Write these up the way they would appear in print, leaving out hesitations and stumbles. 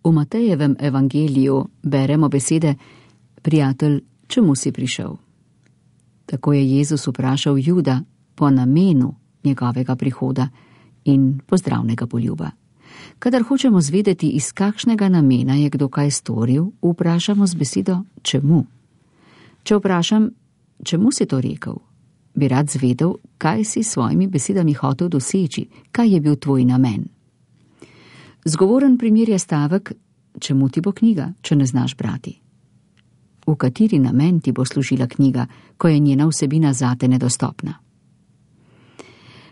V Matejevem evangeliju beremo besede: Prijatelj, čemu si prišel? Tako je Jezus vprašal Juda po namenu njegovega prihoda in pozdravnega poljuba. Kadar hočemo zvedeti, iz kakšnega namena je kdo kaj storil, vprašamo z besedo čemu. Če vprašam, čemu si to rekel, bi rad zvedel, kaj si s svojimi besedami hotel doseči, kaj je bil tvoj namen. Zgovoren primer je stavek: čemu ti bo knjiga, če ne znaš brati? V kateri namen ti bo služila knjiga, ko je njena vsebina zate nedostopna?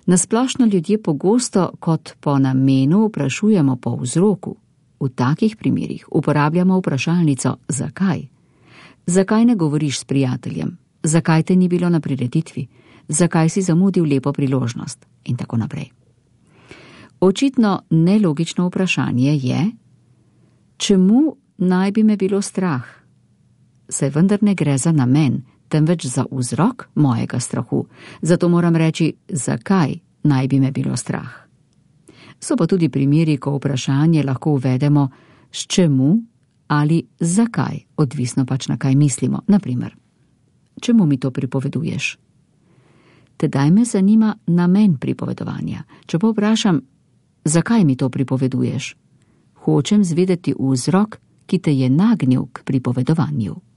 Nasplošno ljudje pogosto kot po namenu vprašujemo po vzroku. V takih primerih uporabljamo vprašalnico zakaj. Zakaj ne govoriš s prijateljem? Zakaj te ni bilo na prireditvi? Zakaj si zamudil lepo priložnost? In tako naprej. Očitno nelogično vprašanje je: čemu naj bi me bilo strah? Saj vendar ne gre za namen, temveč za vzrok mojega strahu. Zato moram reči, zakaj naj bi me bilo strah. So pa tudi primeri, ko vprašanje lahko uvedemo s čemu ali zakaj, odvisno pač na kaj mislimo. Naprimer, čemu mi to pripoveduješ? Tedaj me zanima namen pripovedovanja. Če pa vprašam, zakaj mi to pripoveduješ? Hočem zvedeti vzrok, ki te je nagnil k pripovedovanju.